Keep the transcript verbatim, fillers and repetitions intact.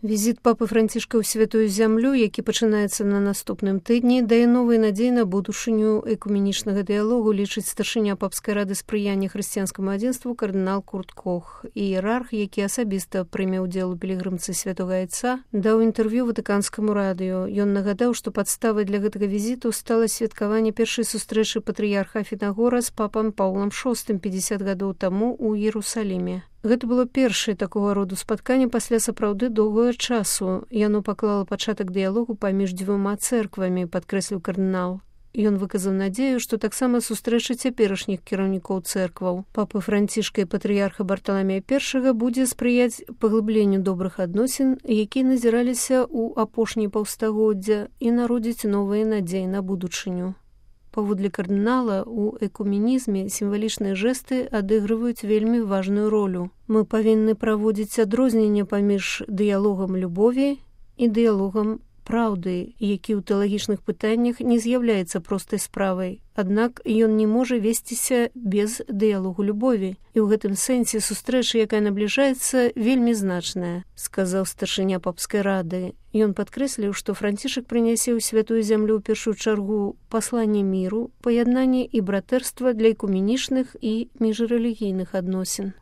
Візіт папы Францішка ў святую зямлю, які пачынаецца на наступным тыдні, дае новыя надзеі на будучыню экуменічнага дыялогу, лічыць старшыня папскай рады спрыяння хрысціянскаму адзінству кардынал Курт Кох. Іерарх, які асабіста прыме ўдзел у пілігрымцы святога Айца, даў інтэрв'ю ватыканскаму радыё. Ён нагадаў, што падставай для гэтага візіту стала святкаванне першай сустрэчы патрыярха Афінагора з папам Паўлам шостым пятьдесят гадоў таму ў Іерусаліме. Гэта было першае такога роду спатканне пасля сапраўды доўгага часу. Яно паклала пачатак дыялогу паміж дзвюма цэрквамі, падкрэсліў кардынал. Ён выказаў надзею, што таксама сустрэча цяперашніх кіраўнікоў цэркваў папы Францішка і патрыярха Барталамея першага будзе спрыяць паглыбленню добрых адносін, якія назіраліся ў апошні паўстагоддзя, і народзіць новыя надзеі на будучыню. Паводле кардынала, у экуменізме сімвалічныя жэсты адыгрываюць вельмі важную ролю. Мы павінны праводзіць адрозненне паміж дыялогам любові і дыялогам праўды, які ў тэалагічных пытаннях не з'яўляецца простай справай. Аднак ён не можа весціся без дыялогу любові. І ў гэтым сэнсе сустрэча, якая набліжаецца, вельмі значная, сказаў старшыня папскай рады. Ён падкрэсліў, што Францішак прынясе ў святую зямлю ў першую чаргу пасланне міру, паяднанне і братэрства для экуменічных і міжрэлігійных адносін.